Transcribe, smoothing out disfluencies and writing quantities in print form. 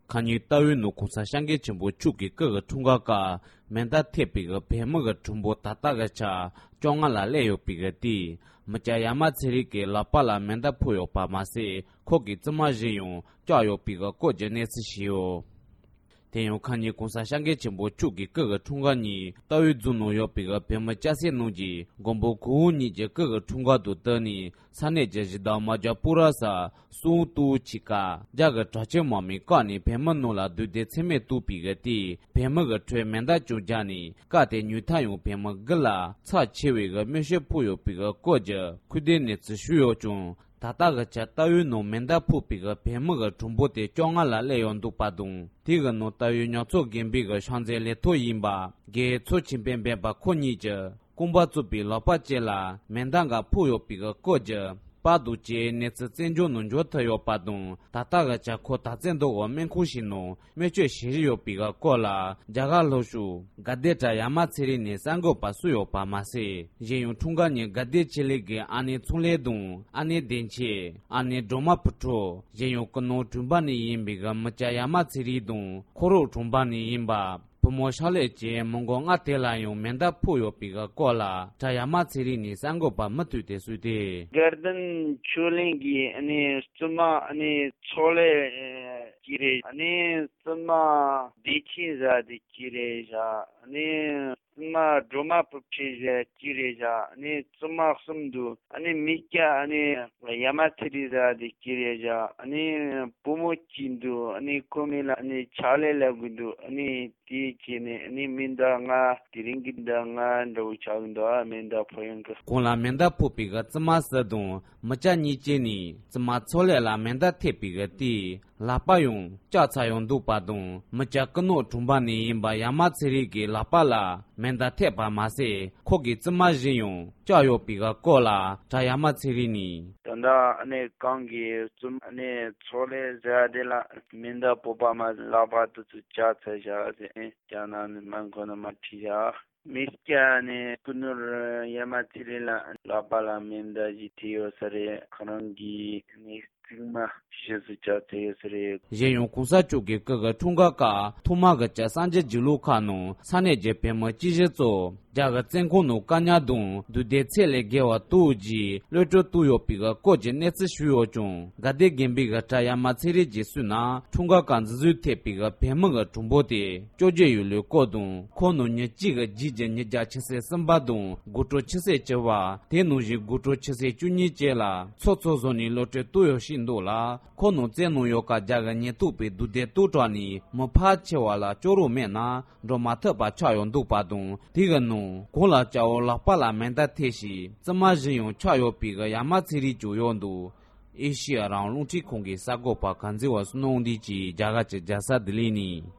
ཁ་ཉིན་རྟ་བོའི་ནང་གོང་ས་སྐྱབས་མགོན་ཆེན་པོ་མཆོག་གི་སྐུ་གི་འཁྲུངས་སྐར་སྐབས་མེ་མདའ་ཐེབས་པའི་གི་བོད་མི་གི་གྲངས་འབོར་ད་ལྟ་གི་ཆ 15 ལ་སླེབས་ཡོད་པའི་གི་དེའི་མི་སྐྱ་ཡ་མ་ཚེ་རིང་གི་ལག་པ་ལ་མེ་མདའ་ཕོག་ཡོད་པ་མ་ཟད་ཁོ་གི་རྩིབ་མ་བཞི་ཡང་བཅག་ཡོད་པའི་གི་སྐོར་གྱི་གནས་ཚུལ་ཞིག་ཡོད། དེ་ཡང་ཁ་ཉིན་གོང་ས་སྐྱབས་མགོན་ཆེན་པོ་མཆོག་གི་སྐུ་གི་འཁྲུངས་སྐར་ཉིན་རྟའུ་རྫོང་ནང་ཡོད་པའི་གི་བོད་མི་སྐྱ་སེར་རྣམས་ཀྱིས་མགོན་པོ་གང་ཉིད་ཀྱི་སྐུ་གི་འཁྲུངས་སྐར་དང་བསྟུན་ནས་ས་གནས་ཀྱི་གཞིས་བདག་རྨ་རྒྱལ་སྤོས་ར་ས་སུའུ་ཏུའུ་ཆི་ཀ་རྒྱ་གི་དྲག་ཆས་དམག་མིས་བཀག་ནས་བོད་མི་རྣམས་ལ་རྡུང་རྡེག་ཚད་མེད་བཏང་པའི་གི་དེས་བོད་མི་གི་ཁྲོད་མེ་མདའ་ཀྱང་བརྒྱབ་ནས་སྐབས་དེ་ཉུང་མཐའ་ཡང་བོད་མི་དགུ་ལ་ཚབས་ཆེ་བའི་གི་རྨས་སྐྱོན་ཕོག་ཡོད་པའི་གི་སྐོར་གྱི་ཁུངས་ལྡན་གནས་ཚུལ་ཞུས་ཡོད་ཀྱང་ད་ལྟ་གི་ཆར་རྟའུའི་ནང་མེ་མདའ་ཕོག་པའི་གི་བོད་མི་གི་གྲངས་འབོར་དེ 15 ལ་སླེབས་ཡོད་འདུག་པ་དང་དེ་གི་ནང་རྟའུའི་ཉག་ཚོ་དགོན་པའི་གི་ཕྱག་མཛོད་ལས་ཐོག་ཡིན་པ་རྒན་མཚོ་ཆེན་པས་འབད་པ་ཁོ་གཉིས་ཀྱི་རྐང་པ་གཙོས་པའི་ལག་པ་བཅས་ལ་མེ་མདའ་འགའ་ཕོག་ཡོད་པའི་གི་སྐོར་གྱི་པར་དང་བཅས་གནས་ཚུལ་བཙན་བྱོལ་ནང་འབྱོར་ཐུབ་ཡོད་པ་དང་ད་ལྟ་གི་ཆར་ཁོ་དར་རྩེ་མདོ་གི་སྨན་ཁང་ཞིག་ནང་སྨན་བཅོས་བྱེད་བཞིན་ཡོད་པའི་སྐོར་ལ་རྒྱ་གར་ལྷོ་ཕྱོགས་དགའ་ལྡན་གྲྭ་ཡ་མ་ཚེ་རིང་ནས་གསར་འགོད་པར་གསུངས་ཡོད་པ་མ་ཟད་གཞན་ཡང་འཁྲུངས་སྐར་ཉིན་དགའ་ལྡན་ཆོས་གླིང་གི་ཨ་ནེ་ཚོང་ལས་དང་ཨ་ནེ་བདེ་ཆེན་ཨ་ནེ་སྒྲོལ་མ་བུ་ཕྲུག་གཞན་ཡང་ཀུ་ནོ་གྲོང་པ་ནས་ཡིན་པའི་གི་མི་སྐྱ་ཡ་མ་ཚེ་རིང་དང་ཁོ་རོག་གྲོང་པ་ནས་ཡིན་པ་བུ་མོ་ཕྱག་ལས་བཅས་མི་མགོ་ལྔ་དེ་ལ་ཡང་མེ་མདའ་ཕོག་ཡོད་པའི་གི་སྐོར་ལ་གྲྭ་ཡ་མ་ཚེ་རིང་ནས་གསར་འགོད་པར་མུ་མཐུད་དེ་གསུངས་ཏེ། དགའ་ལྡན་ཆོས་གླིང་གི་བཙུན་མ་ཚོགས་ལས་གཅིག་རེད། བཙུན་མ་བདེ་ཆེན་བཟའ་དེ་གཅིག་རེད་བཞག། བཙུན་མ་སྒྲོལ་མ་བུ་ཁྲིད་བཟའ་གཅིག་རེད་བཞག། བཙུན་མ་གསུམ་འདུག་མི་སྐྱ་ཡ་མ་ཚེ་རིང་བཟའ་དེ་གཅིག་རེད་བཞག། བུ་མོ་གཅིག་འདུག་ཁོ་མིང་ལ་ཕྱག་ལས་ལབ་གི་འདུག་དེའི་རྗེས་ནས་མེ་མདའ་ལྔ་དེ་རིང་གི་མདའ་ལྔ་འདྲ་བོ་ཆགས་གི་འདུག་ཨ་མེ་མདའ་ཕོག་ཡོང་གི། ཁོང་ལ་མེ་མདའ་ཕོག་པའི་གི་བཙུན་མ་གསུམ་དང་མི་སྐྱ་གཉིས་བཅས་ནས་བཙུན་མ་ཚོགས་ལས་ལ་མེ་མདའ་ཐེབས་པའི་གི་དེའི་ལག་པ་ཡང་བཅག་ཚར་ཡོད་འདུག་པ་དང་མི་སྐྱ་སྐུ་ནོར་གྲོང་པ་ནས་ཡིན་པ་ཡ་མ་ཚེ་རིང་གི་ལག་པ་ལ་མེ་མདའ་ཐེབས་པ་མ་ཟད་ཁོ་གི་རྩིབ་མ་བཞི་ཡང་བཅག་ཡོད་པའི་གི་སྐོར་ལ་གྲྭ་ཡ་མ་ཚེ་རིང་ནས། ད་ལྟ་ཨ་ནེ་གང་གི་བཙུན་མ་ཨ་ནེ་ཚོགས་ལས་བཟའ་དེ་ལ་མེ་མདའ་ཕོག་པ་མ་ལག་པ་དེ་ཚོ་བཅག་ཚར་བཞག་ཟེར་རྒྱ་ནག་ནས་མ་འཁོར་ན་མ་ཁྲིད་བཞག། མི་སྐྱ་ནི་སྐུ་ནོར་ཡ་མ་ཚེ་རིང་ལ་ལག་པ་ལ་མེ་མདའ་ཞིག་ཐེབས་ཡོད་ས་རེད་ཁོ་རང་གི་ནི་རྩིབ་མ་བཞི་ཙམ་བཅག་ཚར་ཡོད་ས་རེད། གཞན་ཡང་གོང་ས་མཆོག་གི་སྐུ་གི་འཁྲུངས་སྐར་སྐབས་ཐོག་མ་གི་ཆར་གསར་འགྱུར་བརྒྱུད་ལམ་ཁག་ནང་ས་གནས་ཀྱི་བོད་མི་སྤྱི་བཞི་གཙོས་རྒྱ་གི་བཙོན་ཁང་ནང་བཀག་ཉར་དང་རྡུང་རྡེག་ཚད་ལས་བརྒལ་བ་བཏང་རྗེས་གློད་བཀྲོལ་བཏང་ཡོད་པའི་སྐོར་གྱི་གནས་ཚུལ་ཞུས་ཡོད་ཀྱང་དགའ་ལྡན་དགོན་པའི་གི་གྲྭ་ཡ་མ་ཚེ་རིང་གིས་གསུངས་ན་འཁྲུངས་སྐར་སྐབས་འཛིན་བཟུང་ཐེབས་པའི་བོད་མི་གི་གྲངས་འབོར་དེ 18 ཡོད་ལུགས་སྐོར་དང་ཁོང་རྣམས་ཉིན་གཅིག་གི་རྗེས་ཀྱི་ཉིན་རྒྱབ་ཆུ་ཚོད་གསུམ་པ་དང་དགོང་དྲོ་ཆུ་ཚོད་བཅུ་པ་དེ་ནང་བཞིན་དགོང་དྲོ་ཆུ་ཚོད 12 བཅས་ལ་ཚོགས་ཚོགས་བཟོ་ནས་གློད་བཀྲོལ་བཏང་ཡོད་ཞེས་འདུག་ལ་ཁོང་རྣམས་བཙོན་ནང་ཡོད་སྐབས་རྒྱ་གི་ཉེན་རྟོག་པས་རྡུང་རྡེག་བཏང་དྲགས་ནས་མི་ཕལ་ཆེ་བ་ལ་སྐྱོབ་རོགས་མེད་ན་འགྲོ་མ་ཐུབ་པ་ཆགས་ཡོད་འདུག་པ་དང་དེ་གི་ནང་གོང་ལ་སྐྱ་བོ་ལག་པ་ལ་མེ་མདའ་ཐེབས་ཤིང་རྩིབ་མ་བཞི་ཡང་ཆག་ཡོད་པའི་གི་ཡ་མ་ཚེ་རིང་བཅུག་ཡོད་འདུག་ཨེ་ཤི་ཡ་རང་དབང་རླུང་འཕྲིན་ཁང་གི་གསར་འགོད་པ་གངས་འཛིན་བ་སུ་ནོ་འདི་ཀྱིས་རྒྱ་གར་གྱི་རྒྱལ་ས་ལྡི་ལི་ནས།